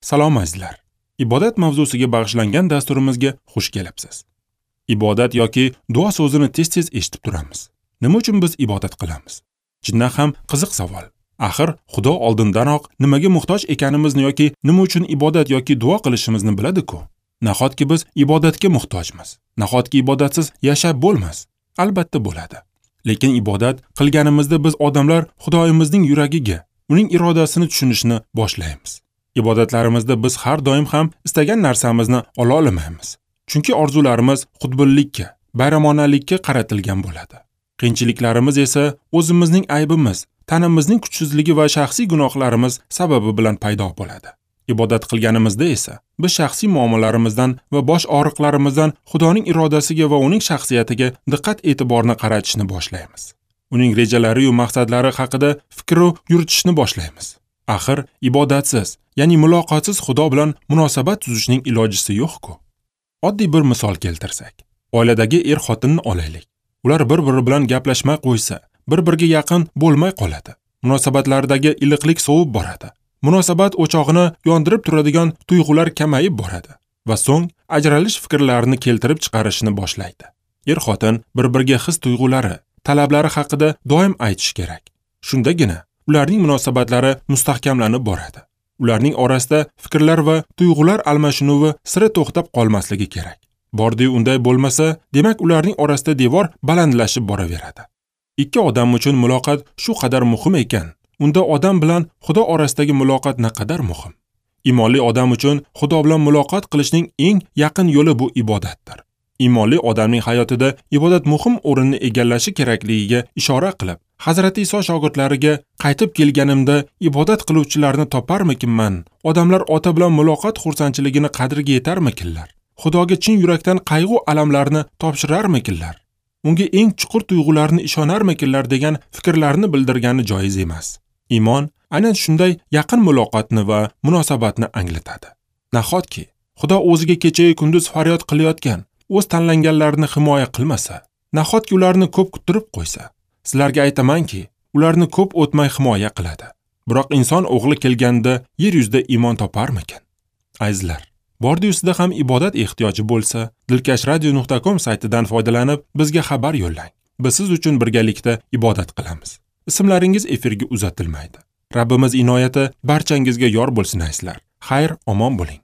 Salom azizlar. Ibodat mavzusiga bag'ishlangan dasturimizga xush kelibsiz. Ibodat yoki duo so'zini tez-tez eshitib turamiz. Nima uchun biz ibodat qilamiz? Chindan ham qiziq savol. Axir Xudo oldindanoq nimaga muhtoj ekanimizni yoki nima uchun ibodat yoki duo qilishimizni biladi-ku. Nahotki biz ibodatga muhtojmiz? Nahotki ibodatsiz yashab bo'lmas? Albatta bo'ladi. Lekin ibodat qilganimizda biz odamlar Xudoyimizning yuragiga, uning irodasini tushunishni boshlaymiz. Ibodatlarimizda biz har doim ham istagan narsamizni ola olmaymiz. Chunki orzularimiz xudbinlikka, bayramonalikka qaratilgan bo'ladi. Qiyinchiliklarimiz esa o'zimizning aybimiz, tanamizning kuchsizligi va shaxsiy gunohlarimiz sababi bilan paydo bo'ladi. Ibodat qilganimizda esa biz shaxsiy muammolarimizdan va bosh og'riqlarimizdan Xudoning irodasiga va uning shaxsiyatiga diqqat-e'tiborni qaratishni boshlaymiz. Uning rejalari va maqsadlari haqida fikr yuritishni boshlaymiz. Axir ibodatsiz, ya'ni muloqotsiz Xudo bilan munosabat tuzishning ilojisi yo'q-ku. Oddiy bir misol keltirsak, oiladagi er-xotinni olaylik. Ular bir-biri bilan gaplashmay qo'ysa, bir-biriga yaqin bo'lmay qoladi. Munosabatlaridagi iliqlik sovib boradi. Munosabat o'chog'ini yondirib turadigan tuyg'ular kamayib boradi va so'ng ajralish fikrlarini keltirib chiqarishni boshlaydi. Er-xotin bir-biriga his-tuyg'ulari, talablari haqida doim aytish kerak. Shundagina ularning munosabatlari mustahkamlanib boradi. Ularning orasida fikrlar va tuyg'ular almashinuvi sira to'xtab qolmasligi kerak. Bordi unday bo'lmasa, demak ularning orasida devor balandlashib boraveradi. Ikki odam uchun muloqot shu qadar muhim ekan, unda odam bilan Xudo orasidagi muloqot naqadar muhim. Imonli odam uchun Xudo bilan muloqot qilishning eng yaqin yo'li bu ibodatdir. Imonli odamning hayotida ibodat muhim o'rinni egallashi kerakligiga ishora qilib, Hazrati Iso shogirdlariga qaytib kelganimda ibodat qiluvchilarni toparmikinman? Odamlar ota bilan muloqot xursandchiligini qadriga yetarmikinlar? Xudoga chin yurakdan qayg'u alamlarni topshirarmikinlar? Unga eng chuqur tuyg'ularni ishonarmikinlar degan fikrlarni bildirgani joiz emas. Iymon aynan shunday yaqin muloqotni va munosabatni anglatadi. Nahotki Xudo o'ziga kecha-yu kunduz faryod qilayotgan o'z tanlanganlarini himoya qilmasa, nahotki ularni ko'p kuttirib qo'ysa? Sizlarga aytamanki, ularni ko'p o'tmay himoya qiladi. Biroq inson o'g'li kelganda yer yuzida iymon toparmikin? Azizlar, bordi yuzida ham ibodat ehtiyoji bo'lsa, dilkashradio.com saytidan foydalanib bizga xabar yo'llang. Biz siz uchun birgalikda ibodat qilamiz. Ismlaringiz efirga uzatilmaydi. Rabbimiz inoyati barchangizga yor bo'lsin azizlar. Xayr, omon bo'ling.